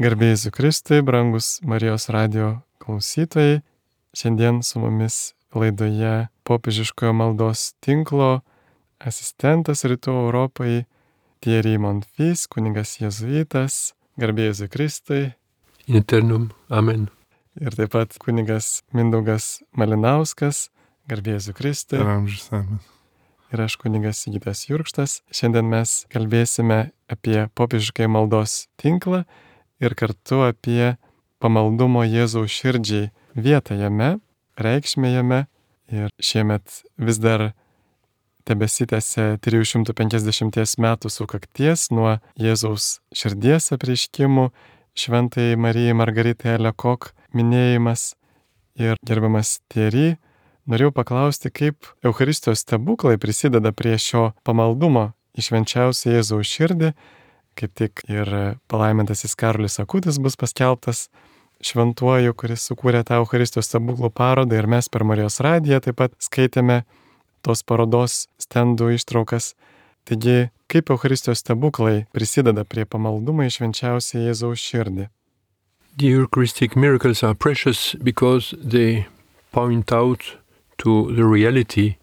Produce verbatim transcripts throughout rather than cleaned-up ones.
Garbė Jėzui Kristui, brangus Marijos radijo klausytojai. Šiandien su mumis laidoje Popiežiškojo maldos tinklo asistentas Rytų Europai Thierry Monfils, kunigas jėzuitas. Garbė Jėzui Kristui. In eternum. Amen. Ir taip pat kunigas Mindaugas Malinauskas. Garbė Jėzui Kristui. Ir amžius amen. Ir aš kunigas Sigitas Jurkštas. Šiandien mes kalbėsime apie Popiežiškąjį maldos tinklą ir kartu apie pamaldumo Jėzaus širdžiai vietą jame, reikšmę jame. Ir šiemet vis dar tebesitęsia trijų šimtų penkiasdešimties metų sukakties nuo Jėzaus širdies apreiškimų Šventajai Marijai Margaritai Alekok minėjimas. Ir gerbiamas Thierry, norėjau paklausti, kaip Eucharistijos stebuklai prisideda prie šio pamaldumo į švenčiausią Jėzaus širdį. Kaip tik ir palaimintasis Karolis Akutis bus paskelbtas šventuoju, kuris sukūrė tą Eucharistijos stebuklų parodą, ir mes per Marijos radiją taip pat skaitėme tos parodos stendų ištraukas. Taigi, kaip Eucharistijos stebuklai prisideda prie pamaldumo į švenčiausią Jėzaus širdį? The Eucharistic miracles are precious because they point out to the reality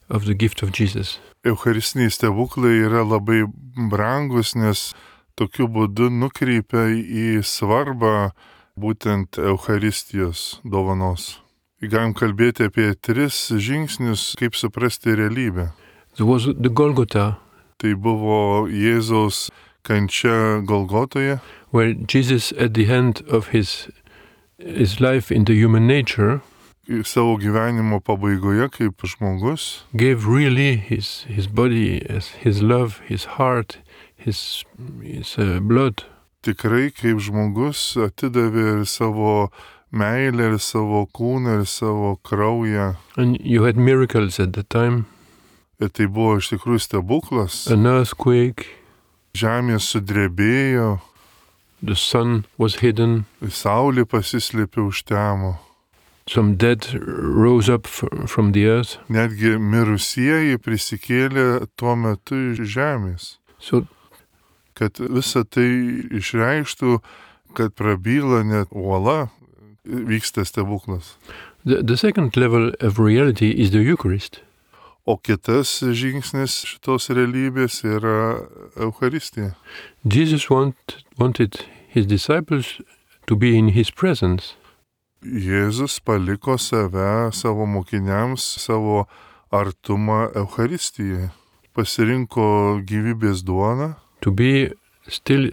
of the gift of Jesus. Eucharistiniai stebuklai yra labai brangus, nes tokiu būdu nukreipia į svarbą būtent Eucharistijos dovanos. Galim kalbėti apie tris žingsnius, kaip suprasti realybę. There was the Golgotha, Tai buvo Jėzaus kančia Golgotoje, where Jesus at the end of his, his life in the human nature savo gyvenimo pabaigoje kaip žmogus gave really his, his body, as his love, his heart, his, his uh, blood. tikrai kaip žmogus atidavė ir savo meilę, ir savo kūną, ir savo kraują. And you had miracles at the time, Ir tai buvo iš tikrųjų stebuklas. an earthquake, Žemė sudrebėjo, the sun was hidden, saulė pasislėpė už temo. some dead rose up f- from the earth. Netgi mirusieji prisikėlė tuo metu iš žemės. So Kad visa tai išreikštų, kad prabyla net uola, vyksta stebuklas. the, the second level of reality is the Eucharist. O kitas žingsnis šitos realybės yra Eucharistija. Jesus want, wanted his disciples to be in his presence. Jėzus paliko save, savo mokiniams, savo artumą Eucharistijoje. Pasirinko gyvybės duoną, To be still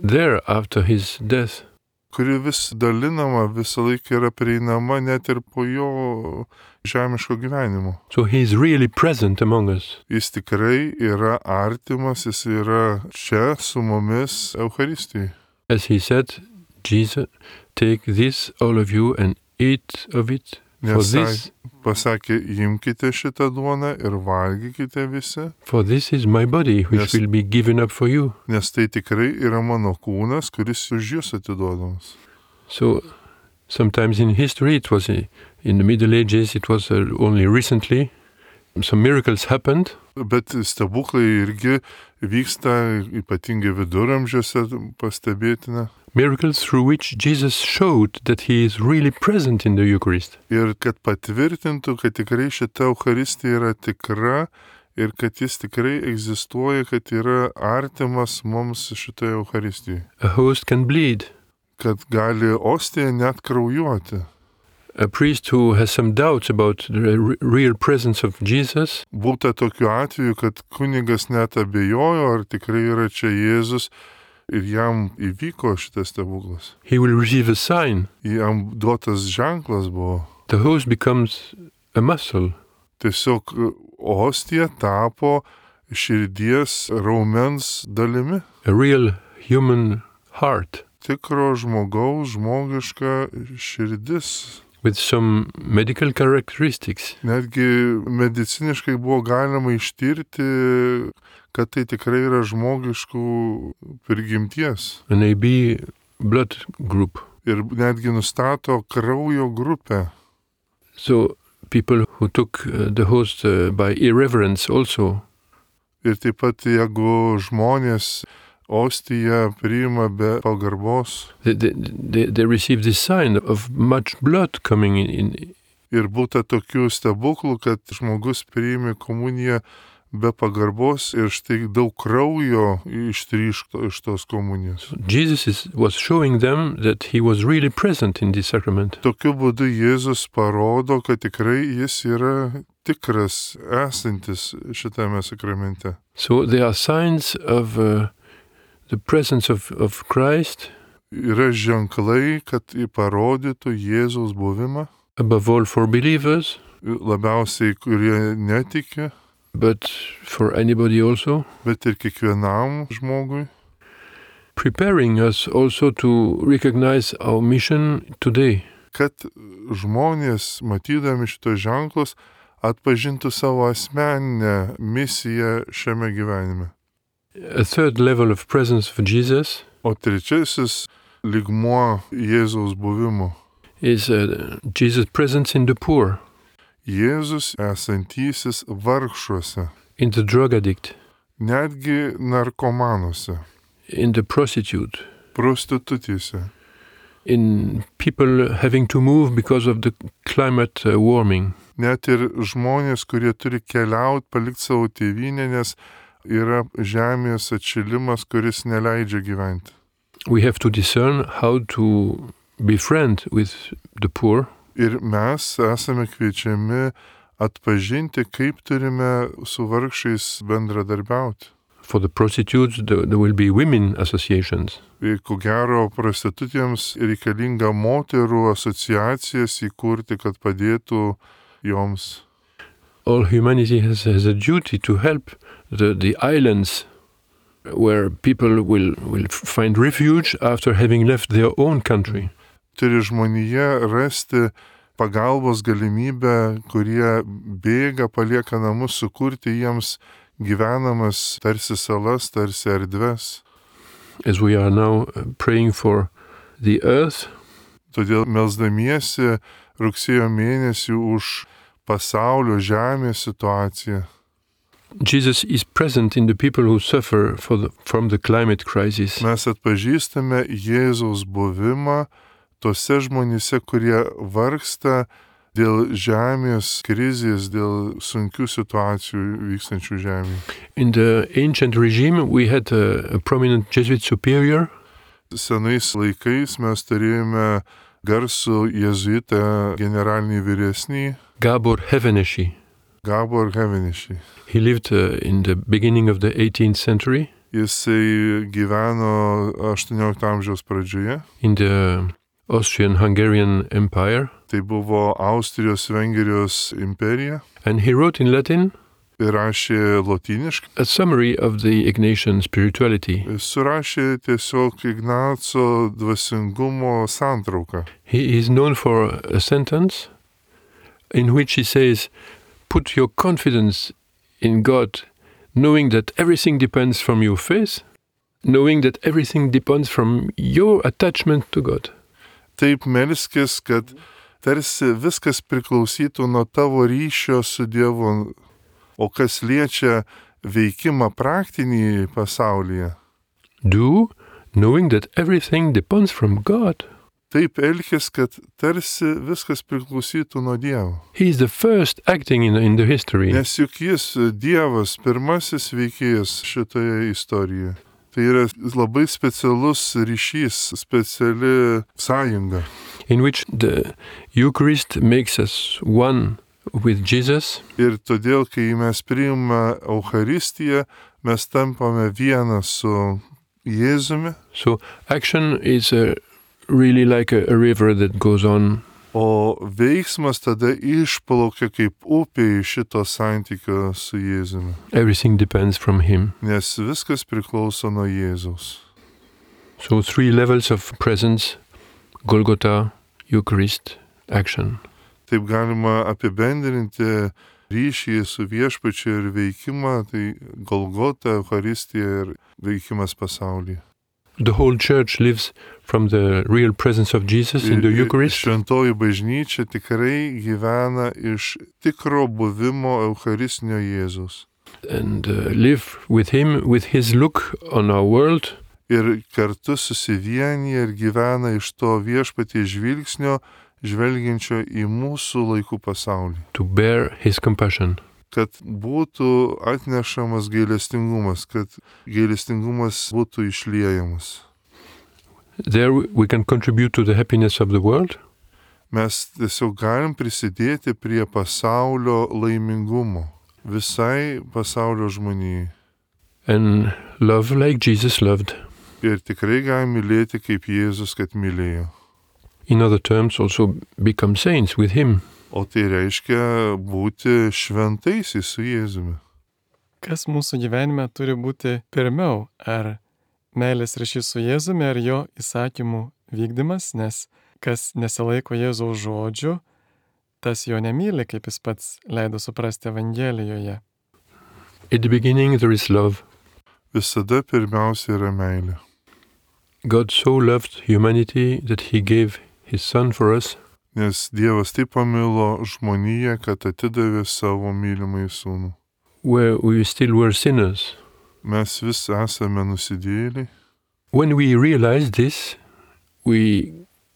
there after his death. kuri vis dalinama, visą laiką yra prieinama net ir po jo žemiško gyvenimo. So he is really present among us. Jis tikrai yra artimas, jis yra čia su mumis Eucharistijoje. As he said, Jesus, take this, all of you, and eat of it. For Nes this, pasakė, imkite šitą duoną ir valgykite visi, for this is my body, which Yes. will be given up for you. nes tai tikrai yra mano kūnas, kuris už jūs atiduodamas. So sometimes in history, it was uh, in the Middle Ages, it was uh, only recently. Some miracles happened. Bet stebuklai irgi vyksta, ypatingai viduramžiuose pastebėtina. Miracles through which Jesus showed that he is really present in the Eucharist. Ir kad patvirtintų, kad tikrai šita Eucharistija yra tikra ir kad jis tikrai egzistuoja, kad yra artimas mums šitoje Eucharistijoje. A host can bleed. Kad gali ostija net kraujuoti. A priest who has some doubts about the re- real presence of Jesus Būta tokiu atveju, kad kunigas net abejojo, ar tikrai yra čia Jėzus, ir jam įvyko šitas stebuklas. he will receive a sign. Jam duotas ženklas buvo. The host becomes a muscle. Tiesiog ostija tapo širdies raumens dalimi. A real human heart Tikro žmogaus žmogiška širdis. with some medical characteristics. Netgi mediciniškai buvo galima ištirti, kad tai tikrai yra žmogiškų prigimties. An A B blood group. Ir netgi nustato kraujo grupę. So people who took uh, the host uh, by irreverence also Ir taip pat, jeigu žmonės ostiją priima be pagarbos. They, they, they, they receive this sign of much blood coming in. in Ir būta tokių stebuklų, kad žmogus priėmė komuniją be pagarbos ir štai daug kraujo ištryško iš tos komunijos. Jesus is, was showing them that he was really present in this sacrament. Tokiu būdu Jėzus parodo, kad tikrai jis yra tikras, esantis šitame sakramente. So there are signs of uh, the presence of, of Christ. Yra ženklai, kad parodytų Jėzaus buvimą. Above all for believers. Labiausiai, kurie netiki. But for anybody also. Bet ir kiekvienam žmogui. Preparing us also to recognize our mission today. Kad žmonės, matydami šitos ženklus, atpažintų savo asmeninę misiją šiame gyvenime. A third level of presence of Jesus. O trečiasis lygmuo Jėzaus buvimo. Is uh, Jesus' presence in the poor. Jėzus esantysis vargšuose. In the drug addict. Netgi narkomanuose. In the prostitute. Prostitutėse. In people having to move because of the climate uh, warming. Net ir žmonės, kurie turi keliauti, palikti savo tėvynę, nes yra žemės atšilimas, kuris neleidžia gyventi. We have to discern how to befriend with the poor. Ir mes esame kviečiami atpažinti, kaip turime su vargšais bendradarbiauti. For the prostitutes, there, there will be women associations. Ir ko gero, prostitutėms reikalinga moterų asociacijas įkurti, kad padėtų joms. All humanity has, has a duty to help the, the islands where people will, will find refuge after having left their own country. Turi žmonėje rasti pagalbos galimybę, kurie bėga, palieka namus, sukurti jiems gyvenamas tarsi salas, tarsi erdves. As we are now praying for the earth. Todėl melsdamiesi rugsėjo mėnesį už pasaulio žemės situaciją. Jesus is present in the people who suffer for the, from the climate crisis. Mes atpažįstame Jėzaus buvimą tose žmonėse, kurie vargsta dėl žemės krizės, dėl sunkių situacijų vykstančių žemėje. In the ancient regime, we had a, a prominent Jesuit superior. Senais laikais mes turėjome garsų jėzuitą generalinį vyresnį. Gábor Heveneši. Gábor Heveneši. He lived uh, in the beginning of the eighteenth century. Jisai gyveno aštuoniolikto amžiaus pradžioje. In the Austrian-Hungarian Empire. Tai buvo Austrijos-Vengrijos imperija. And he wrote in Latin. Ir rašė lotyniškai. A summary of the Ignatian spirituality. Surašė tiesiog Ignaco dvasingumo santrauką. He is known for a sentence in which he says, "Put your confidence in God, knowing that everything depends from your faith, knowing that everything depends from your attachment to God." Taip melskis, kad tarsi viskas priklausytų nuo tavo ryšio su Dievu, o kas liečia veikimą praktinį pasaulyje. Do, knowing that everything depends from God. Taip elkis, kad tarsi viskas priklausytų nuo Dievo. He is the first acting in, in the history. Nes juk jis, Dievas, pirmasis veikėjas šitoje istorijoje. Tai yra labai specialus ryšys, speciali sąjunga. In which the Eucharist makes us one with Jesus. Ir todėl, kai mes priimame Eucharistiją, mes tampame vienas su Jėzumi. So action is a, really like a, a river that goes on. O veiksmas tada išplaukia kaip upė iš šito santykio su Jėzumi. Everything depends from him. Nes viskas priklauso nuo Jėzaus. So three levels of presence: Golgotha, Eucharist, action. Taip galima apibendrinti ryšį su viešpačiu ir veikimą, tai Golgota, Eucharistija ir veikimas pasaulyje. The whole church lives from the real presence of Jesus in the Eucharist. Šventoji bažnyčia tikrai gyvena iš tikro buvimo Eucharistinio Jėzaus. and uh, live with him, with his look on our world. Ir kartu susivienyje ir gyvena iš to viešpaties žvilgsnio, žvelgiančio į mūsų laikų pasaulį. To bear his compassion. Kad būtų atnešamas gailestingumas, kad gailestingumas būtų išliejamas. There we can contribute to the happiness of the world. Mes tiesiog galim prisidėti prie pasaulio laimingumo, visai pasaulio žmonijai. And love like Jesus loved. Ir tikrai galim mylėti kaip Jėzus, kad mylėjo. In other terms, also become saints with him. O tai reiškia būti šventaisiais su Jėzumi. Kas mūsų gyvenime turi būti pirmiau? Ar meilės ryšys su Jėzumi, ar jo įsakymų vykdymas? Nes kas nesilaiko Jėzaus žodžių, tas jo nemyli, kaip jis pats leido suprasti Evangelijoje. At the beginning there is love. Visada pirmiausia yra meilė. God so loved humanity that he gave his son for us. Nes Dievas taip pamilo žmoniją, kad atidavė savo mylimąjį sūnų. Where we still were sinners. Mes vis esame nusidėjėliai. When we realize this, we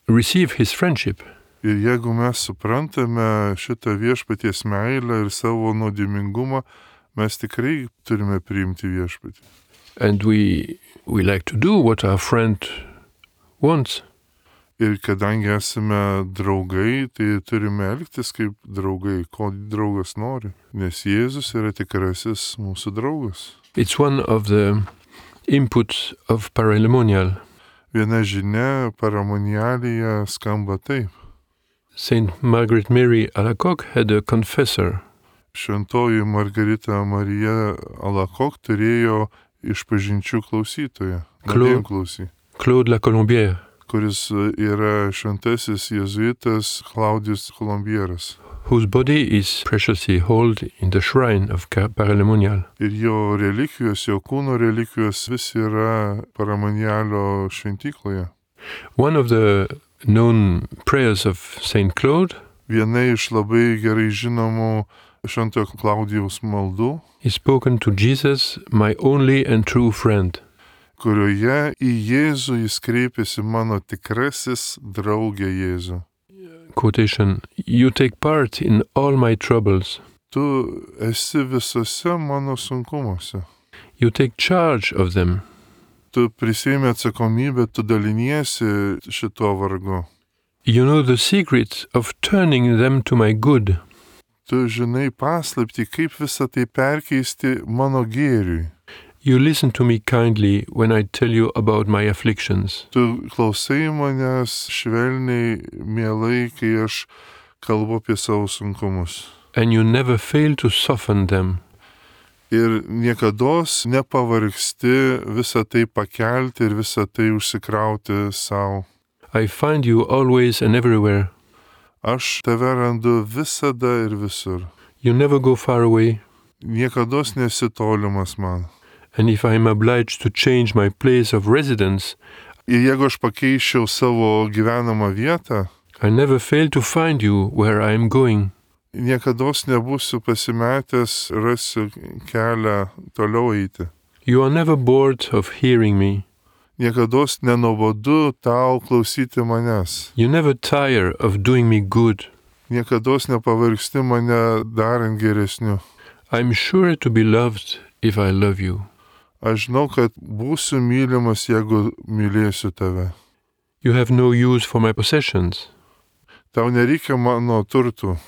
receive his friendship. Ir jeigu mes suprantame šitą viešpaties meilę ir savo nuodėmingumą, mes tikrai turime priimti viešpatį. And we, we like to do what our friend wants. Ir kadangi esame draugai, tai turime elgtis kaip draugai, ko draugas nori. Nes Jėzus yra tikrasis mūsų draugas. It's one of the inputs of paralemonial. Viena žinia paramonialėje skamba taip. Saint Margaret Mary Alacoque had a confessor. Šventoji Margarita Marija Alacoque turėjo išpažinčių klausytoją, Claude, klausy, Claude La Colombière, kuris yra šventasis jėzuitas Claudius Colombieras. whose body is preciously held in the shrine of paralemonial. Ir jo relikvijos, jo kūno relikvijos vis yra paramonialio šventykloje. One of the known prayers of Saint Claude Viena iš labai gerai žinomų šventojo Klaudijaus maldų, is spoken to Jesus, my only and true friend. kurioje į Jėzų jis kreipiasi mano tikrasis draugė Jėzų. Quotation, you take part in all my troubles. Tu esi visose mano sunkumuose. You take charge of them. Tu prisiimi atsakomybę, tu daliniesi šito vargu. You know the secret of turning them to my good. Tu žinai paslaptį, kaip visą tai perkeisti mano gėriui. You listen to me kindly when I tell you about my afflictions. Tu klausai manęs švelniai, mielai, kai aš kalbu apie savo sunkumus. And you never fail to soften them. Ir niekados nepavargsti visą tai pakelti ir visą tai užsikrauti savo. I find you always and everywhere. Aš tave randu visada ir visur. You never go far away. Niekados nesi tolimas man. And if I am obliged to change my place of residence, Ir jeigu aš pakeičiau savo gyvenamą vietą, I never fail to find you where I am going. niekados nebūsiu pasimetęs, rasiu kelią toliau eiti. You are never bored of hearing me. Niekados nenuobodu tau klausyti manęs. You never tire of doing me good. Niekados nepavargsti mane darant geresniu. I'm sure to be loved if I love you. Aš žinau, kad būsiu mylimas, jeigu mylėsiu tave. You have no use for my possessions, Tau nereikia mano turtų.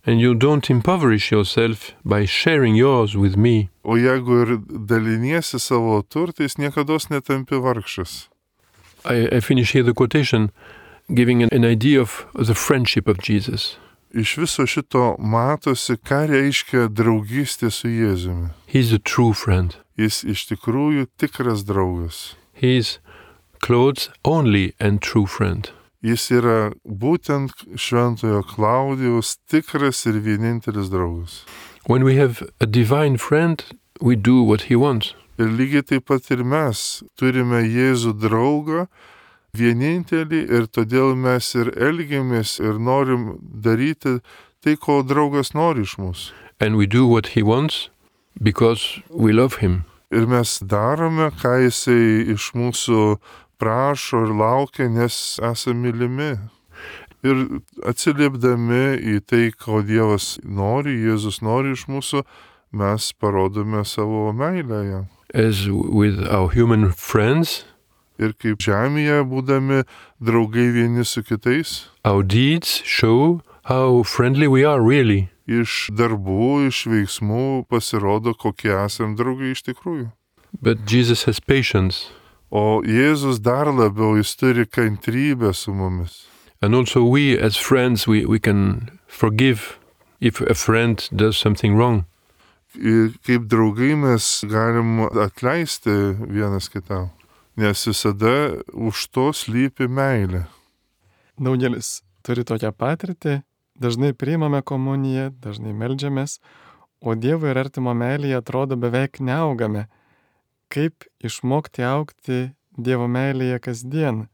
and you don't impoverish yourself by sharing yours with me. O jeigu ir daliniesi savo turtais, niekados netampi vargšas. I, I finish here the quotation, giving an, an idea of the friendship of Jesus. Iš viso šito matosi, ką reiškia draugystė su Jėzumi. He's a true friend. Jis iš tikrųjų tikras draugas. He's Claude's only and true friend. Jis yra būtent šventojo Klaudijaus tikras ir vienintelis draugas. When we have a divine friend, we do what he wants. Ir lygiai taip pat ir mes turime Jėzų draugą, vienintelį, ir todėl mes ir elgiamės ir norim daryti tai, ko draugas nori iš mūsų. And we do what he wants because we love him. Ir mes darome, ką jisai iš mūsų prašo ir laukia, nes esame mylimi. Ir atsiliepdami į tai, ko Dievas nori, Jėzus nori iš mūsų, mes parodome savo meilę jam. As with our human friends, Ir kaip žemėje būdami draugai vieni su kitais, our deeds show how friendly we are really. iš darbų, iš veiksmų pasirodo, kokie esame draugai iš tikrųjų. But Jesus has patience. O Jėzus dar labiau, jis turi kantrybę su mumis. And also we as friends, we, we can forgive if a friend does something wrong. Ir kaip draugai mes galim atleisti vienas kitam, nes visada už to slypi meilė. Daugelis turi tokią patirtį, dažnai priimame komuniją, dažnai meldžiamės, o Dievo ir artimo meilėje atrodo beveik neaugame. Kaip išmokti augti Dievo meilėje kasdien?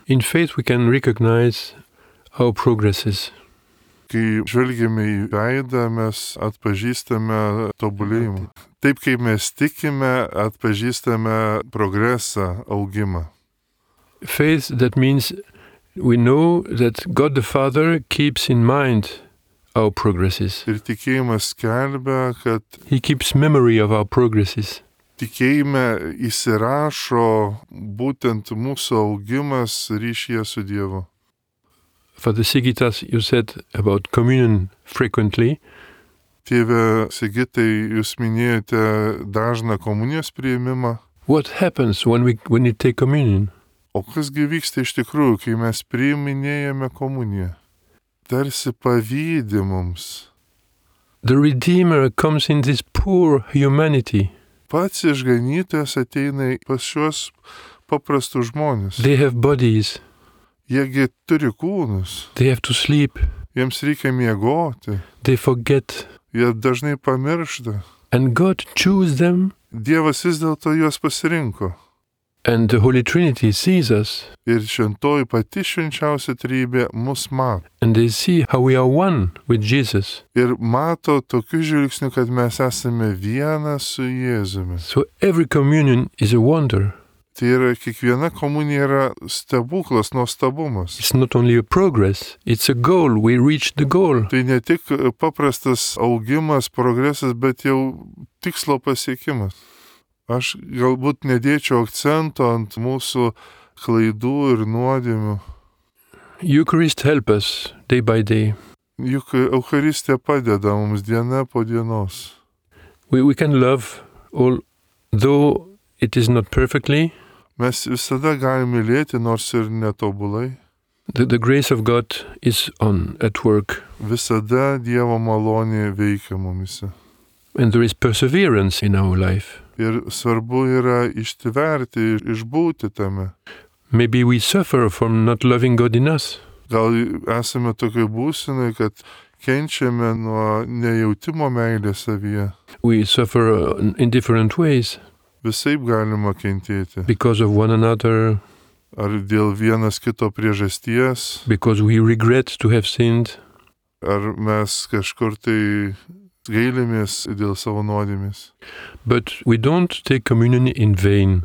In faith we can recognize our progresses. Kai žvelgiame į veidą, mes atpažįstame tobulėjimą. Taip kaip mes tikime, atpažįstame progresą, augimą. Faith, that means we know that God the Father keeps in mind our progresses. Ir tikėjimas skelbia, kad He keeps memory of our progresses. tikėjime įsirašo būtent mūsų augimas ryšyje su Dievu. Father Sigitas, you said about communion frequently. Tėve Sigitai, jūs minėjote dažną komunijos priėmimą. What happens when we when we take communion? O kasgi vyksta iš tikrųjų, kai mes priiminėjame komuniją? Tarsi pavydi mums. The Redeemer comes in this poor humanity. Pats išganytojas ateina pas šios paprastus žmonės. They have bodies. Jiegi turi kūnus, They have to sleep. jiems reikia miegoti, They forget. jie dažnai pamiršta. And God chose them, Dievas vis dėlto juos pasirinko. and the Holy Trinity sees us, Ir šventoji pati švenčiausia trejybė mus mato. and they see how we are one with Jesus. Ir mato tokiu žvilgsniu, kad mes esame viena su Jėzumi. So every communion is a wonder. Tai yra, kiekviena komunija yra stebuklas, nuostabumas. It's not only a progress, it's a goal. We reach the goal. Tai ne tik paprastas augimas, progresas, bet jau tikslo pasiekimas. Aš galbūt nedėčiau akcento ant mūsų klaidų ir nuodėmių. Eucharist help us day by day. Juk Eucharistija padeda mums diena po dienos. We, we can love, although it is not perfectly. Mes visada galime mylėti, nors ir netobulai. The, the grace of God is on at work, Visada Dievo malonė veikia mumise. and there is perseverance in our life. Ir svarbu yra ištverti, išbūti tame. Maybe we suffer from not loving God in us. Gal esame tokiai būsenai, kad kenčiame nuo nejautimo meilės savyje. We suffer uh, in different ways Visaip galima kentėti. because of one another, Ar dėl vienas kito priežasties, because we regret to have sinned. ar mes kažkur tai gailimės dėl savo nuodėmės. But we don't take communion in vain.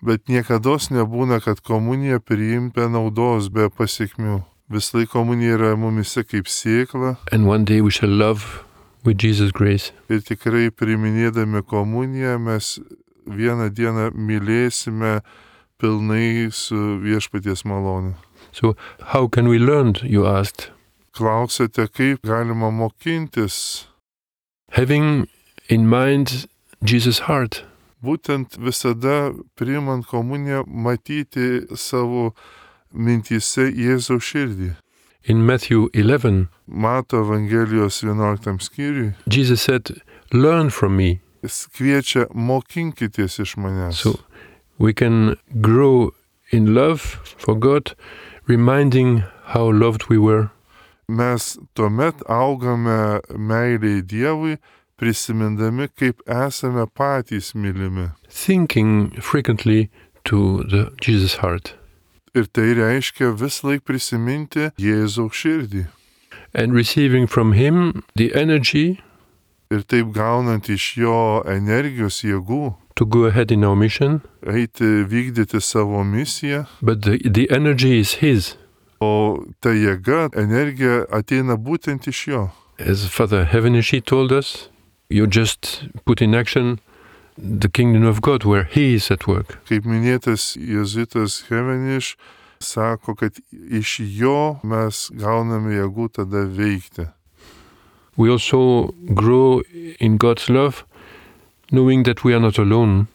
Bet niekados nebūna, kad komunija priimta naudos be pasiekmių. Vis laik komunija yra mumise kaip sėkla And one day we shall love with Jesus' grace. ir tikrai priiminėdami komuniją mes vieną dieną mylėsime pilnai su viešpaties malone. So how can we learn, you asked? Klausėte, kaip galima mokintis, Having in mind Jesus' heart. būtent visada priimant komuniją matyti savo mintyse Jėzaus širdį. In Matthew eleven, Mato Evangelijos vienuoliktam skyriui, Jesus said, learn from me. jis kviečia mokinkitės iš manęs. So we can grow in love for God, reminding how loved we were. Mes tuomet augame meiliai Dievui, prisimindami, kaip esame patys mylimi. Thinking frequently to the Jesus' heart. Ir tai reiškia vis laik prisiminti Jėzaus širdį. And receiving from Him the energy ir taip gaunant iš jo energijos jėgų, to go ahead in our mission, eiti vykdyti savo misiją, but the, the energy is His. o ta jėga, energija ateina būtent iš jo. As Father Heavenishi told us, you just put in action the kingdom of God where He is at work. Kaip minėtas jėzuitas Heveniš sako, kad iš jo mes gauname jėgų tada veikti. We also grow in God's love, knowing that we are not alone.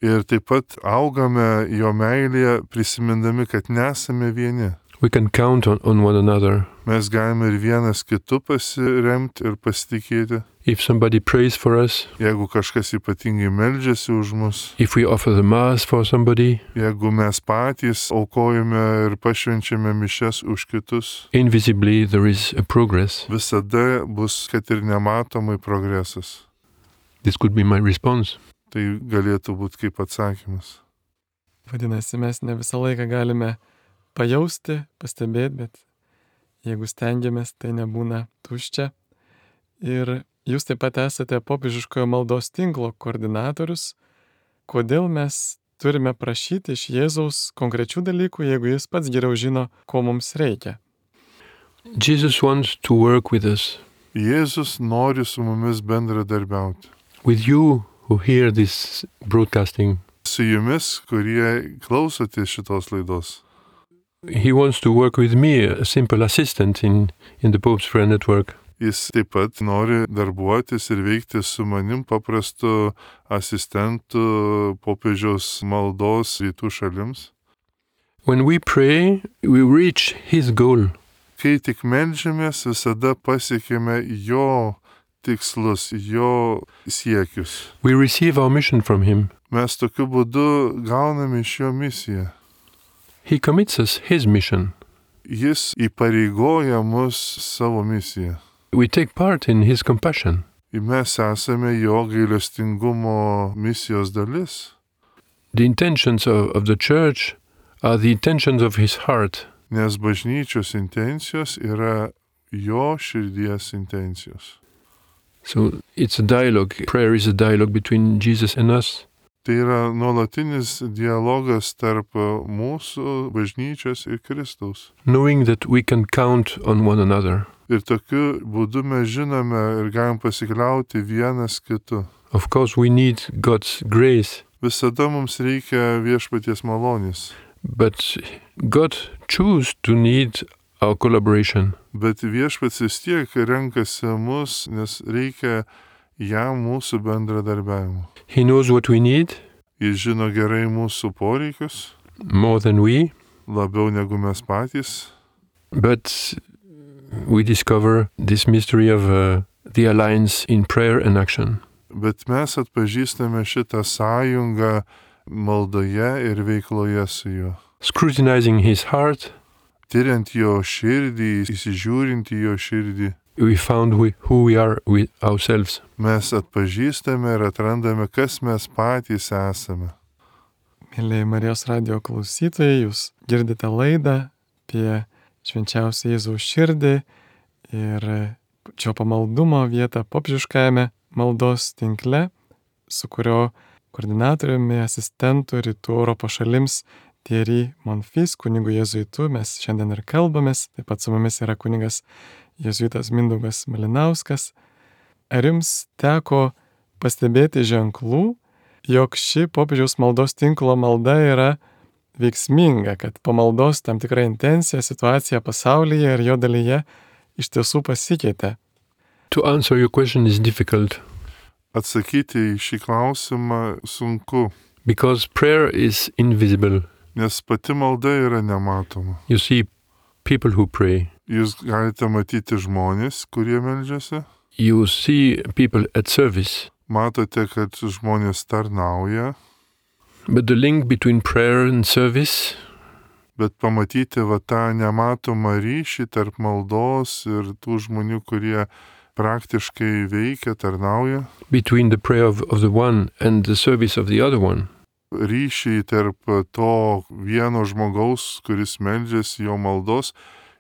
Ir taip pat augame jo meilėje, prisimindami, kad nesame vieni. We can count on, on one another. Mes galime ir vienas kitu pasiremti ir pasitikėti. If somebody prays for us, Jeigu kažkas ypatingai meldžiasi už mus, if we offer the Mass for somebody, jeigu mes patys aukojame ir pašvenčiame mišias už kitus, invisibly there is a progress. visada bus, kad ir nematomai progresas. This could be my response. Tai galėtų būti kaip atsakymas. Vadinasi, mes ne visą laiką galime pajausti, pastebėti, bet jeigu stengiamės, tai nebūna tuščia. Ir jūs taip pat esate popiežiškojo maldos tinklo koordinatorius. Kodėl mes turime prašyti iš Jėzaus konkrečių dalykų, jeigu jis pats geriau žino, ko mums reikia? Jesus wants to work with us, Jėzus nori su mumis bendradarbiauti. with you who hear this broadcasting. Su jumis, kurie klausote šitos laidos. He wants to work with me, a simple assistant in, in the Pope's Prayer Network. Jis taip pat nori darbuotis ir veikti su manim paprastu asistentu popiežiaus maldos rytų šalims. When we pray, we reach His goal. Kai tik meldžiamės, visada pasiekėme jo tikslus, jo siekius. We receive our mission from Him. Mes tokiu būdu gauname iš jo misiją. He commits us His mission. Jis įpareigoja mus savo misiją. We take part in His compassion. Ir mes esame jo gailestingumo misijos dalis. The intentions of, of the Church are the intentions of His heart. Nes bažnyčios intencijos yra jo širdies intencijos. So it's a dialogue. Prayer is a dialogue between Jesus and us. Tai yra nuolatinis dialogas tarp mūsų bažnyčios ir Kristaus. Knowing that we can count on one another. Ir tokiu būdu mes žinome ir galim pasikliauti vienas kitu. Of course, we need God's grace, Visada mums reikia viešpaties malonės, but God chose to need our collaboration. bet viešpats vis tiek renkasi mus, nes reikia jam mūsų bendradarbiavimo. He knows what we need Jis žino gerai mūsų poreikius, more than we, labiau negu mes patys, but we discover this mystery of uh, the alliance in prayer and action. bet mes atpažįstame šitą sąjungą maldoje ir veikloje su juo. Scrutinizing His heart, Tyriant jo širdį, įsižiūrint į jo širdį, we found we, who we are with ourselves. mes atpažįstame ir atrandame, kas mes patys esame. Mėlyje Marijos radijo klausytojai, jūs girdite laidą apie švenčiausią Jėzaus širdį ir šio pamaldumo vietą popiežiškajame maldos tinkle, su kurio koordinatoriumi, asistentu rytų Europos šalims Thierry Monfils, kunigu jėzuitu, mes šiandien ir kalbamės. Taip pat su mumis yra kunigas jėzuitas Mindaugas Malinauskas. Ar jums teko pastebėti ženklų, jog ši popiežiaus maldos tinklo malda yra veiksminga, kad po maldos tam tikra intencija, situacija pasaulyje ir jo dalyje iš tiesų pasikeitė? To answer your question is difficult Atsakyti į šį klausimą sunku, because prayer is invisible. nes pati malda yra nematoma. You see people who pray. Jūs galite matyti žmonės, kurie meldžiasi, You see people at service. matote, kad žmonės tarnauja, But the link between prayer and service, bet pamatyti va tą nematomą ryšį tarp maldos ir tų žmonių, kurie praktiškai veikia, tarnauja, between the prayer of, of the one and the service of the other one, ryšį tarp to vieno žmogaus, kuris meldžiasi jo maldos,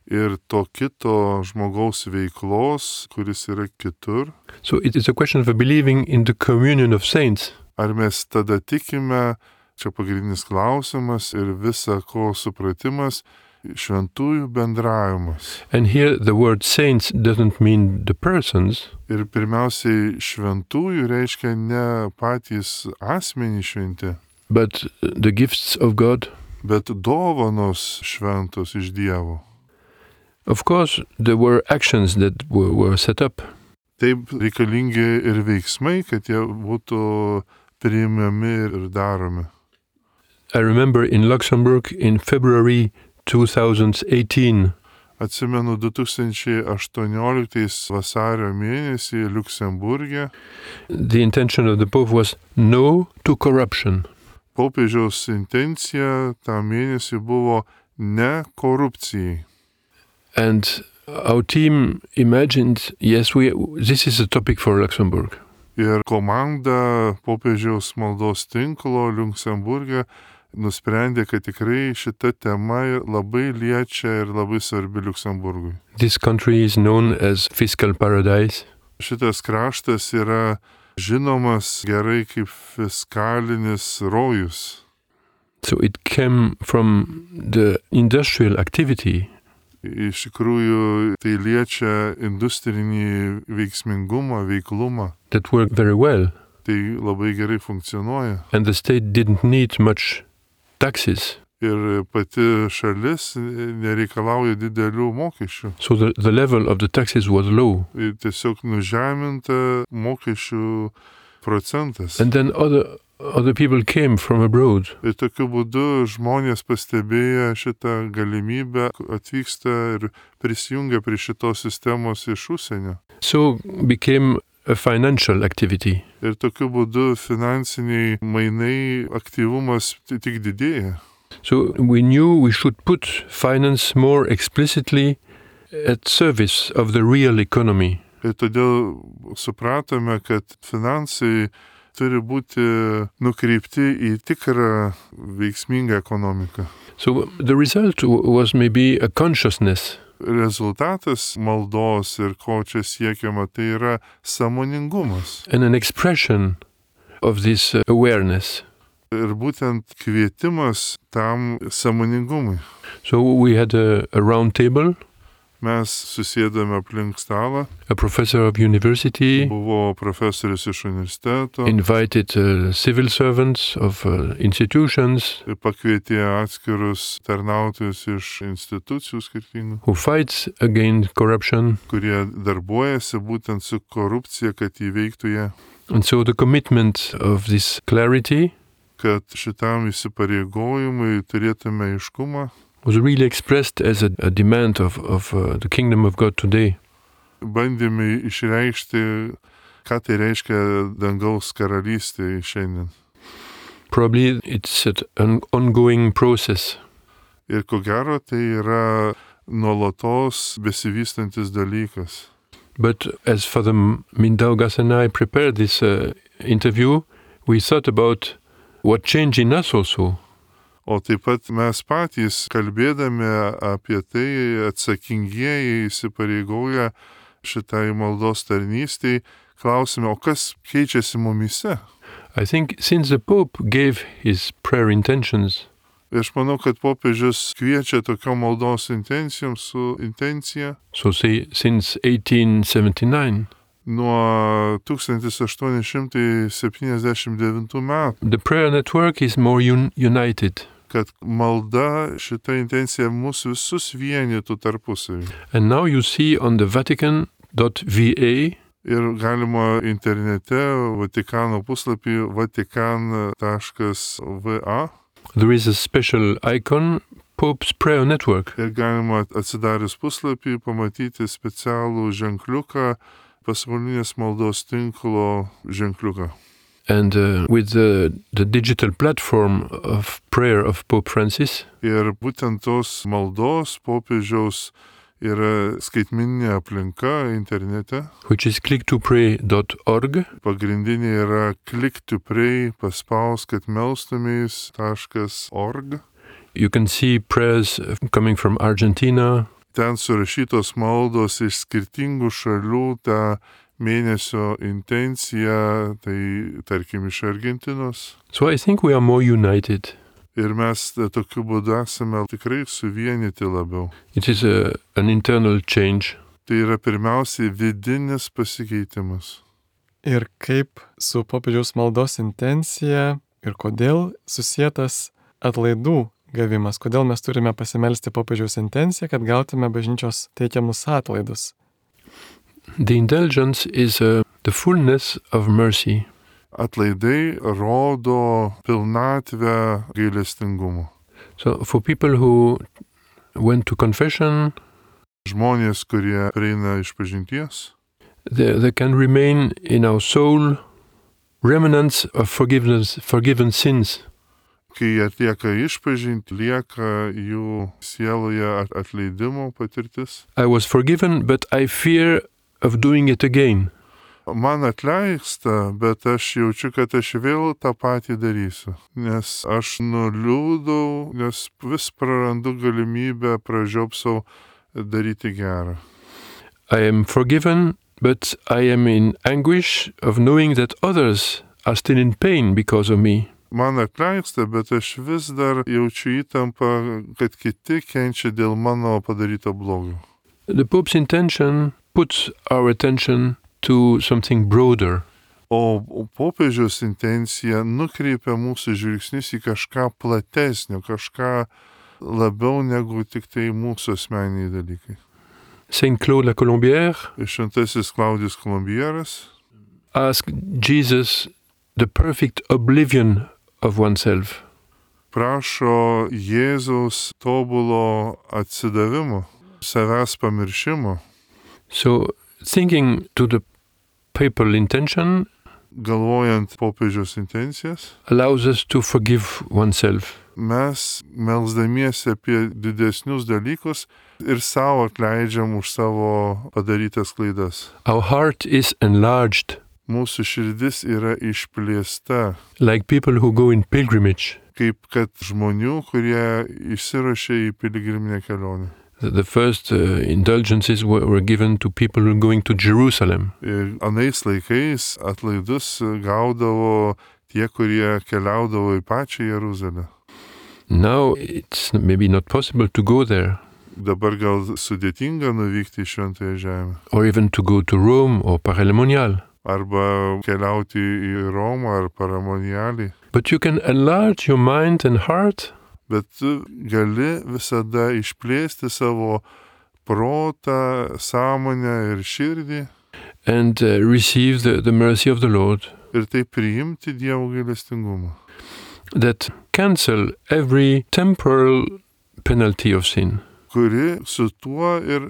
ir to kito žmogaus veiklos, kuris yra kitur. So it is a question of believing in the communion of saints. Ar mes tada tikime, čia pagrindinis klausimas ir visa ko supratimas, šventųjų bendravimas. And here the word saints doesn't mean the persons, Ir pirmiausiai šventųjų reiškia ne patys asmenys šventi, but the gifts of God. bet dovanos šventos iš Dievo. Of course, there were actions that were, were set up. Taip reikalingi ir veiksmai, kad jie būtų priimami ir daromi. I remember in Luxembourg in February two thousand eighteen, Atsimenu du tūkstančiai aštuonioliktais vasario mėnesį Liuksemburge the intention of the Pope was no to corruption. popiežiaus intencija tą mėnesį buvo ne korupcijai. And our team imagined, yes, we this is a topic for Luxembourg. Ir komanda popiežiaus maldos tinklo Liuksemburge nusprendė, kad tikrai šita tema labai liečia ir labai svarbi Liuksemburgui. This country is known as fiscal paradise. Šitas kraštas yra žinomas gerai kaip fiskalinis rojus. So it came from the industrial activity. Iš tikrųjų, tai liečia industrinį veiksmingumą, veiklumą. That worked very well. Tai labai gerai funkcionuoja. And the state didn't need much taxes. Ir pati šalis nereikalauja didelių mokesčių. So the, the level of the taxes was low. Ir tiesiog nužeminta mokesčių procentas. And then other other people came from abroad. Ir tokiu būdu žmonės pastebėję šitą galimybę atvyksta ir prisijungia prie šitos sistemos iš užsienio. So became a financial activity. Ir tokiu būdu finansiniai mainai aktyvumas tik didėja. So we knew we should put finance more explicitly at service of the real economy. Ir todėl supratome, kad finansai turi būti nukreipti į tikrą veiksmingą ekonomiką. So the result was maybe a consciousness. Rezultatas maldos ir ko čia siekiama, tai yra sąmoningumas. And an expression of this awareness. Ir būtent kvietimas tam sąmoningumui. So we had a, a round table. Mes susėdame aplink stalą. A professor of university. Buvo profesorius iš universiteto. Invited uh, civil servants of uh, institutions. Ir pakvietė atskirus tarnautojus iš institucijų skirtingų. Who fights against corruption. Kurie darbuojasi būtent su korupcija, kad įveiktų ją. And so the commitment of this clarity. Kad šitam įsipareigojimui turėtume aiškumą. Was really expressed as a, a demand of, of uh, the kingdom of God today. Bandėme išreikšti, ką tai reiškia dangaus karalystė šiandien. Probably it's an ongoing process. Ir ko gero tai yra nuolatos besivystantis dalykas. But as Father Mindaugas and I prepared this uh, interview, we thought about what changed in us also. O taip pat mes patys, kalbėdami apie tai, atsakingieji įsipareigoję šitai maldos tarnystei, klausime, o kas keičiasi mumyse? I think since the Pope gave his prayer intentions, aš manau, kad popiežius kviečia tokio maldos intencijom su intencija. So say since eighteen seventy-nine. Nuo tūkstantis aštuoni šimtai septyniasdešimt devintų metų. The prayer network is more un- united. Kad malda šita intencija mūsų visus vienytų tarpusavį. And now you see on the Vatican dot V A. Ir galima internete Vatikano puslapį vatikan taškas v a. There is a special icon, Pope's Prayer Network. Ir galima atsidarius puslapį pamatyti specialų ženkliuką, pasaulinės maldos tinklo ženkliuką. And uh, with the, the digital platform of prayer of Pope Francis. Ir būtent tos maldos popiežiaus yra skaitmeninė aplinka internete. Which is click to pray dot org. Pagrindinė yra click to pray, paspaus, kad melstumės taškas org. You can see prayers coming from Argentina. ten surašytos maldos iš skirtingų šalių, tą mėnesio intenciją, tai tarkim iš Argentinos. So I think we are more united. Ir mes tokiu būdu esame tikrai suvienyti labiau. It is a, an internal change. Tai yra pirmiausiai vidinis pasikeitimas. Ir kaip su popiežiaus maldos intencija ir kodėl susietas atlaidų gavimas, kodėl mes turime pasimelsti popiežiaus intenciją, kad gautume bažnyčios teikiamus atlaidus. The indulgence is uh, the fullness of mercy. Atlaidai rodo pilnatvę gailestingumo. So for people who went to confession, Žmonės, kurie prieina iš pažinties, there, there can remain in our soul remnants of forgiveness, forgiven sins. kai jie atlieka išpažintį, lieka jų sieloje atleidimo patirtis. I was forgiven, but I fear of doing it again. Man atleista, bet aš jaučiu, kad aš vėl tą patį darysiu. Nes aš nuliūdau, nes vis prarandu galimybę pražiopsau daryti gerą. I am forgiven, but I am in anguish of knowing that others are still in pain because of me. Man atleista, bet aš vis dar jaučiu įtampą, kad kiti kenčia dėl mano padaryto blogio. The Pope's intention puts our attention to something broader. O popiežiaus intencija nukreipia mūsų žvilgsnius į kažką platesnio, kažką labiau negu tik tai mūsų asmeniniai dalykai. Saint Claude la Colombière Šventasis Klaudijus Kolumbieras asked Jesus the perfect oblivion of oneself. prašo Jėzaus tobulo atsidavimo, savęs pamiršimo. So thinking to the papal intention Galvojant popiežiaus intencijas, allows us to forgive oneself. mes melsdamiesi apie didesnius dalykus ir savo atleidžiam už savo padarytas klaidas. Our heart is enlarged, Mūsų širdis yra išplėsta, like people who go in pilgrimage. kaip kad žmonių, kurie išsiruošia į piligriminę kelionę. The the first uh, indulgences were, were given to people who were going to Jerusalem. Ir anais laikais atlaidus gaudavo tie, kurie keliaudavo į pačią Jeruzalę. Now it's maybe not possible to go there, Dabar gal sudėtinga nuvykti į Šventąją Žemę. or even to go to Rome or Paralemonial. Arba keliauti į Romą ar Paramonialį. But you can enlarge your mind and heart Bet tu gali visada išplėsti savo protą, sąmonę ir širdį and uh, receive the, the mercy of the Lord ir tai priimti Dievo gailestingumą, that cancel every temporal penalty of sin. kuri su tuo ir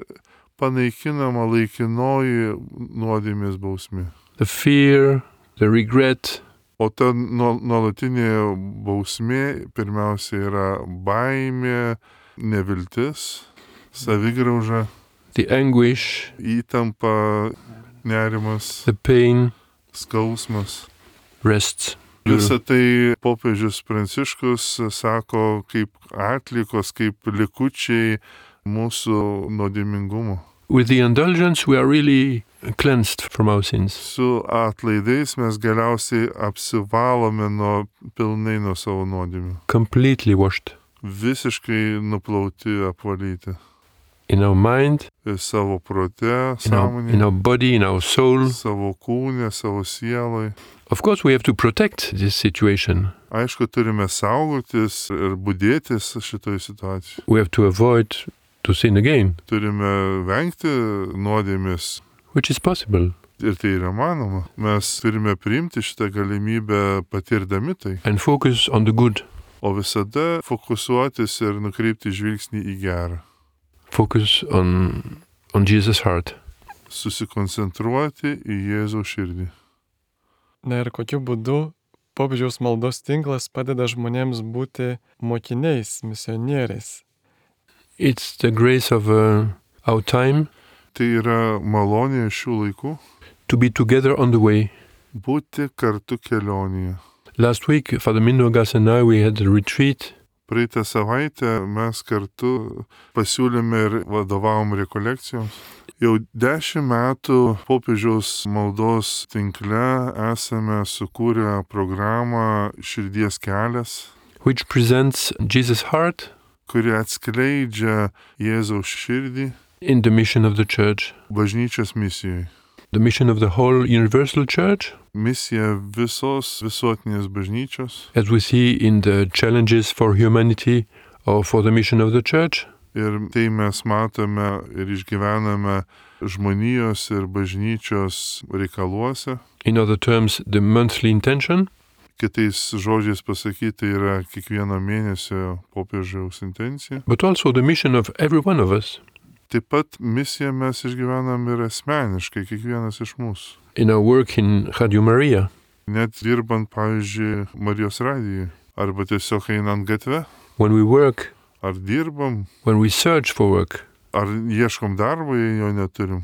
panaikinama laikinoji nuodėmės bausmė. The fear, the regret, O ta nuolatinė bausmė pirmiausia yra baimė, neviltis, savigrauža, the anguish, įtampa, nerimas, the pain, skausmas. rests. Visą tai popiežius Pranciškus sako kaip atlikos, kaip likučiai mūsų nuodėmingumo. With the indulgence, we are really cleansed from our sins. Su atlaidais mes galiausiai apsivalome nuo pilnai nuo savo nuodėmių. Completely washed Visiškai nuplauti, apvalyti. in our mind, Ir savo prote, in our, in sąmonėje, our body, in our soul. savo kūne, savo sielai. Of course, we have to protect this situation. Aišku, turime saugotis ir budėtis šitoje situacijoje. We have to avoid to sin again, Turime vengti nuodėmės. which is possible, Ir tai yra manoma. Mes turime priimti šitą galimybę patirdami tai. and focus on the good. O visada fokusuotis ir nukreipti žvilgsnį į gerą. Focus on, on Jesus' heart. Susikoncentruoti į Jėzaus širdį. Na ir kokiu būdu popiežiaus maldos tinklas padeda žmonėms būti mokiniais, misionieriais. It's the grace of uh, our time Tai yra malonė šių laikų to be together on the way. būti kartu kelionėje. Last week, Father Mindaugas and I, we had a retreat Praeitą savaitę mes kartu pasiūlėme ir vadovavom rekolekcijoms. Jau dešimt metų popiežiaus maldos tinkle esame sukūrę programą Širdies kelias, which presents Jesus' heart kuri atskleidžia Jėzaus širdį in the mission of the church, bažnyčios misijai. the mission of the whole universal church, Misija visos visuotinės bažnyčios. as we see in the challenges for humanity or for the mission of the church. Ir tai mes matome ir išgyvename žmonijos ir bažnyčios reikaluose. In other terms, the monthly intention, Kitais žodžiais pasakyti yra kiekvieno mėnesio popiežiaus intencija. but also the mission of every one of us Taip pat misiją mes išgyvenam ir asmeniškai, kiekvienas iš mūsų. in our work in Radio Maria. Net dirbant, pavyzdžiui, Marijos radijai. Arba tiesiog einant gatve. When we work, Ar dirbam, when we search for work, ar ieškom darbo, jei jo neturim.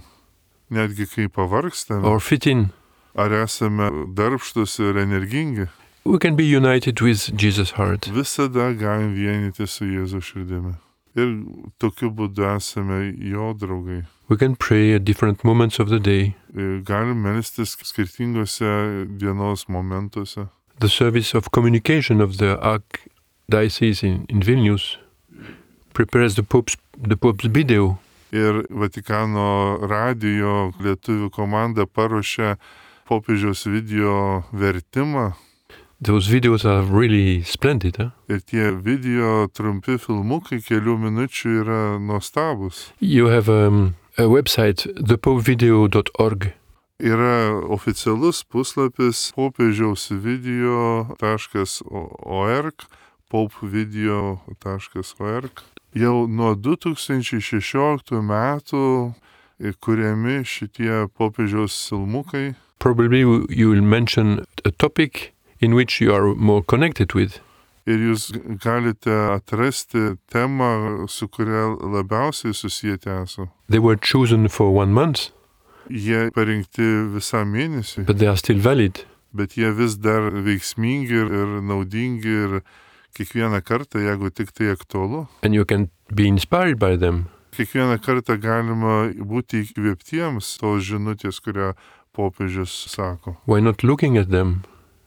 Netgi kai pavargstame, or fit in, ar esame darbštus ir energingi. we can be united with Jesus' heart. Visada galim vienyti su Jėzaus širdimi. Ir tokiu būdu esame jo draugai. We can pray at different moments of the day. Ir galim melstis skirtingose dienos momentuose. The service of communication of the Archdiocese in, in Vilnius prepares the Pope's, the Pope's video. Ir Vatikano radijo lietuvių komanda paruošė popiežiaus video vertimą. Those videos are really splendid. Huh? Ir tie video trumpi filmukai kelių minučių yra nuostabus. You have um, a website, the pope video dot org. Yra oficialus puslapis popiežiaus video taškas org, popevideo taškas org. Jau nuo du tūkstančiai šešioliktų metų kuriami šitie popiežiaus filmukai. Probably you will mention a topic in which you are more connected with. Ir jūs galite atrasti temą, su kuria labiausiai susijęti esate. They were chosen for one month, Jie parinkti visą mėnesį, but they are still valid. bet jie vis dar veiksmingi ir, ir naudingi ir kiekvieną kartą, jeigu tik tai aktualu. And you can be inspired by them. Kiekvieną kartą galima būti įkvėptiems tos žinutės, kurią popiežius sako. Why not looking at them?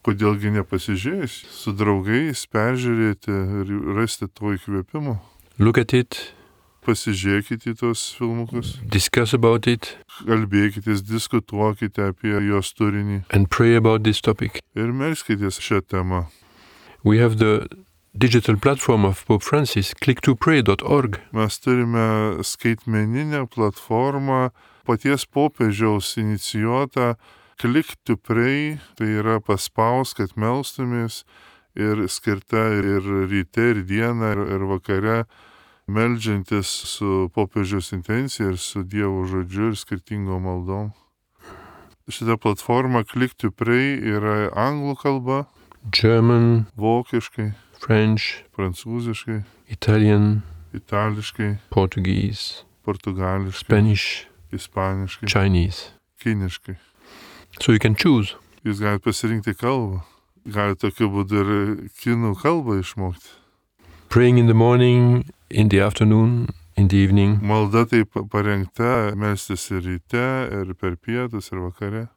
Kodėlgi nepasižiūrėjus, su draugais peržiūrėti ir rasti to įkvėpimo. Look at it, Pasižiūrėkite į tos filmukus, discuss about it, kalbėkitės, diskutuokite apie jos turinį and pray about this topic. ir melskitės šią temą. We have the digital platform of Pope Francis, click to pray dot org. Mes turime skaitmeninę platformą paties popiežiaus inicijuotą Click to Pray, tai yra paspaus, kad melstumės ir skirta ir ryte, ir dieną, ir, ir vakare, meldžiantis su popiežiaus intencija ir su Dievo žodžiu ir skirtingom maldom. Šita platforma Click to Pray yra anglų kalba, German, vokiškai, French, prancūziškai, Italian, itališkai, Portuguese, portugališkai, Spanish, ispaniškai, Chinese. kiniškai. So you can choose. Jūs galite pasirinkti kalbą. Galite tokiu būdu ir kinų kalbą išmokti. Praying in the morning, in the afternoon, in the evening. Malda taip parengta, melstis ir ryte, ir per pietus, ir vakare.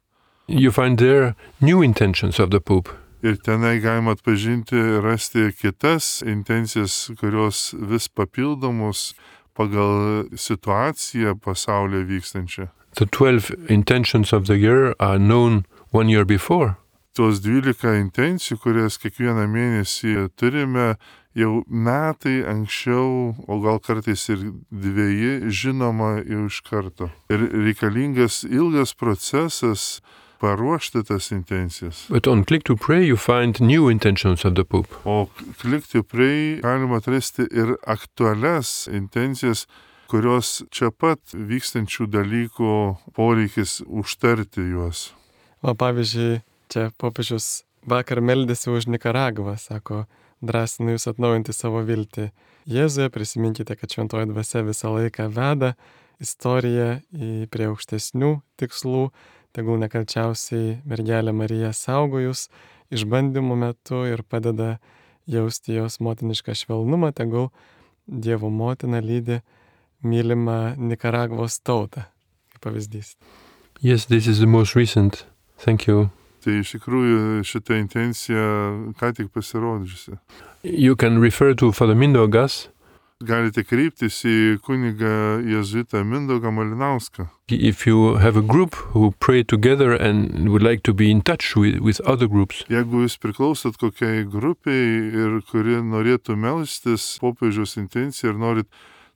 You find there new intentions of the Pope. Ir tenai galima atpažinti, rasti kitas intencijas, kurios vis papildomos pagal situaciją pasaulyje vykstančią. The twelve intentions of the year are known one year before. Tos dvylika intencijų, kurias kiekvieną mėnesį turime, jau metai anksčiau, o gal kartais ir dviejai, žinoma jau iš karto. Ir reikalingas ilgas procesas paruošti tas intencijas. But on Click to Pray you find new intentions of the Pope. O Click to Pray galima atrasti ir aktualias intencijas, kurios čia pat vykstančių dalykų poreikis užtarti juos. O pavyzdžiui, čia popiežius vakar meldėsi už Nikaragvą, sako, drąsinu jūs atnaujinti savo viltį. Jėzuje prisiminkite, kad šventoji dvasia visą laiką veda istoriją į prie aukštesnių tikslų, tegul nekalčiausiai mergelė Marija saugo jūs išbandymų metu ir padeda jausti jos motinišką švelnumą, tegul Dievo motina lydi mylimą Nikaragvos tautą. Kaip pavyzdys. Yes, this is the most recent. Thank you. Tai iš tikrųjų šita intencija ką tik pasirodžiusi. You can refer to Father Mindaugas. Galite kreiptis į kunigą jėzuitą Mindaugą Malinauską. If you have a group who pray together and would like to be in touch with, with other groups. Jeigu jūs priklausot kokiai grupiai ir kuri norėtų melstis popiežiaus intenciją ir norit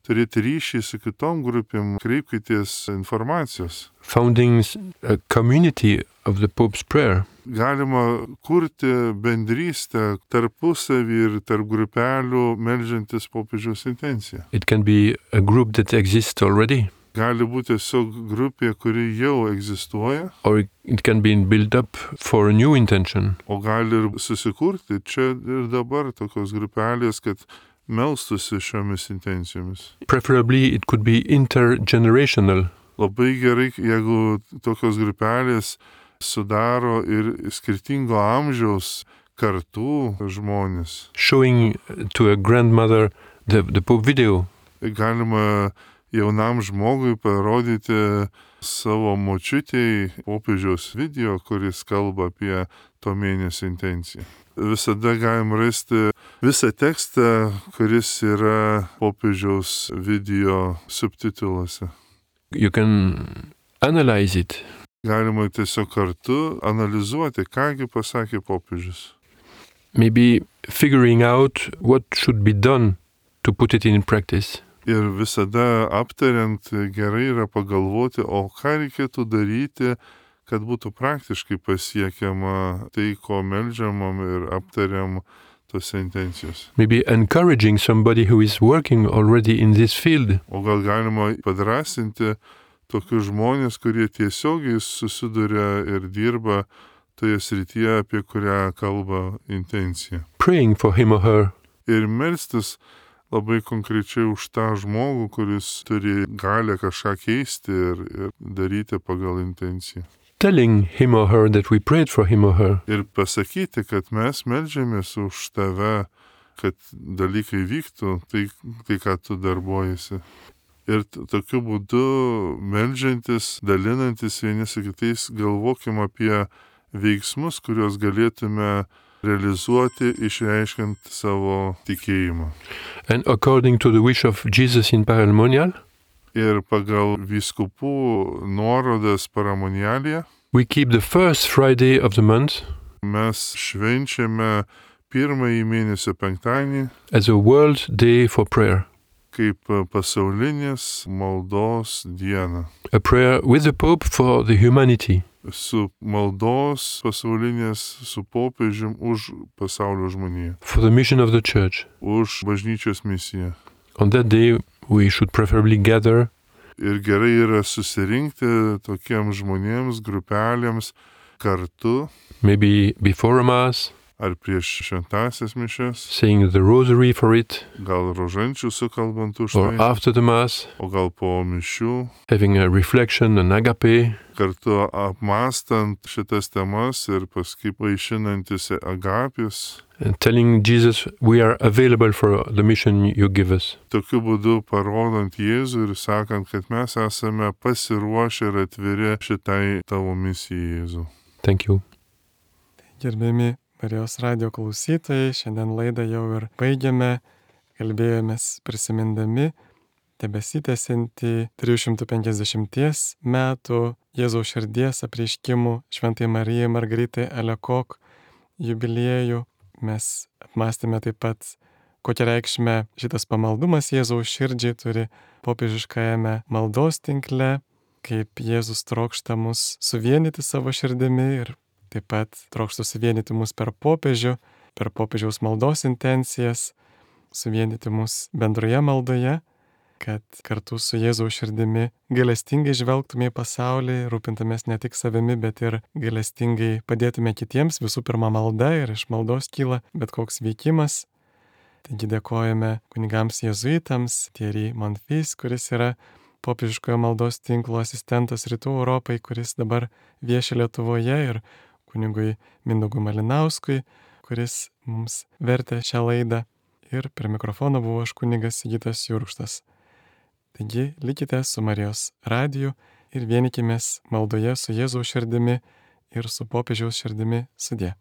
turėti ryšį su kitom grupėm, kreipkitės informacijos. Founding a community of the Pope's prayer. Galima kurti bendrystę tarpusavį ir tarp grupelių meldžiantis popiežiaus intenciją. It can be a group that exists already. Gali būti tiesiog grupė, kuri jau egzistuoja. Or it can be built up for a new intention. O gali ir susikurti čia ir dabar tokios grupelės, kad melstusi šiomis intencijomis. Preferably it could be intergenerational. Labai gerai, jeigu tokios grupelės sudaro ir skirtingo amžiaus kartų žmonės. Showing to a grandmother the, the Pope video. Galima jaunam žmogui parodyti savo močiutei popiežiaus video, kuris kalba apie to mėnesio intenciją. Visada galim rasti visą tekstą, kuris yra popiežiaus video subtituluose. You can analyze it. Galima tiesiog kartu analizuoti, kągi pasakė popiežius. Maybe figuring out what should be done to put it in practice. Ir visada aptariant gerai yra pagalvoti, o ką reikėtų daryti, kad būtų praktiškai pasiekiama tai, ko meldžiamam ir aptariam tose intencijos. Maybe encouraging somebody who is working already in this field. O gal galima padrasinti tokius žmonės, kurie tiesiogiai susiduria ir dirba toje srityje, apie kurią kalba intencija. Praying for him or her. Ir melstis labai konkrečiai už tą žmogų, kuris turi galę kažką keisti ir, ir daryti pagal intenciją. Telling him or her that we prayed for him or her. Ir pasakyti, kad mes meldžiamės už tave, kad dalykai vyktų, tai, tai ką tu darbuojasi. Ir t- tokiu būdu meldžiantis, dalinantis vieni su kitais, galvokim apie veiksmus, kuriuos galėtume realizuoti, išreiškiant savo tikėjimą. And according to the wish of Jesus in Paramonial, Ir pagal vyskupų nuorodas Paramonialėje we keep the first Friday of the month mes švenčiame pirmąjį mėnesio penktadienį as a World Day for Prayer. kaip pasaulinės maldos diena. A prayer with the Pope for the humanity. Su maldos pasaulinės, su popiežium už pasaulio žmoniją, For the mission of the Church. už bažnyčios misiją. On that day, we should preferably gather Ir gerai yra susirinkti tokiems žmonėms, grupelėms kartu maybe before a Mass, ar prieš šventąsias mišias, saying the Rosary for it, gal rožančių sukalbant už or tai, after the Mass, o gal po mišių, having a reflection, an agape, kartu apmastant šitas temas ir paskui vaišinantis agapės. and telling Jesus we are available for the mission you give us. Tokiu būdu parodant Jėzų ir sakant, kad mes esame pasiruošę ir atviri šitai tavo misijai, Jėzų. Thank you. Gerbiami Marijos radio klausytojai, šiandien laidą jau ir baigiame, kalbėjomės prisimindami tebesitęsiantį trijų šimtų penkiasdešimties metų Jėzaus širdies apreiškimų Šventai Marijai Margaritai Alekok jubiliejų. Mes apmąstėme taip pat, kokią reikšmę šitas pamaldumas Jėzaus širdžiai turi popiežiškajame maldos tinkle, kaip Jėzus trokšta mus suvienyti savo širdimi ir taip pat trokšta suvienyti mus per popiežių, per popiežiaus maldos intencijas, suvienyti mus bendroje maldoje, kad kartu su Jėzaus širdimi gailestingai žvelgtume į pasaulį, rūpintumės ne tik savimi, bet ir gailestingai padėtume kitiems, visų pirma malda ir iš maldos kyla bet koks veikimas. Taigi dėkojame kunigams jėzuitams, Thierry Monfils, kuris yra popiežiškojo maldos tinklo asistentas Rytų Europai, kuris dabar vieši Lietuvoje, ir kunigui Mindaugui Malinauskui, kuris mums vertė šią laidą. Ir prie mikrofono buvo aš kunigas Sigitas Jurkštas. Taigi likite su Marijos radiju ir vienykimės maldoje su Jėzaus širdimi ir su popiežiaus širdimi sudie.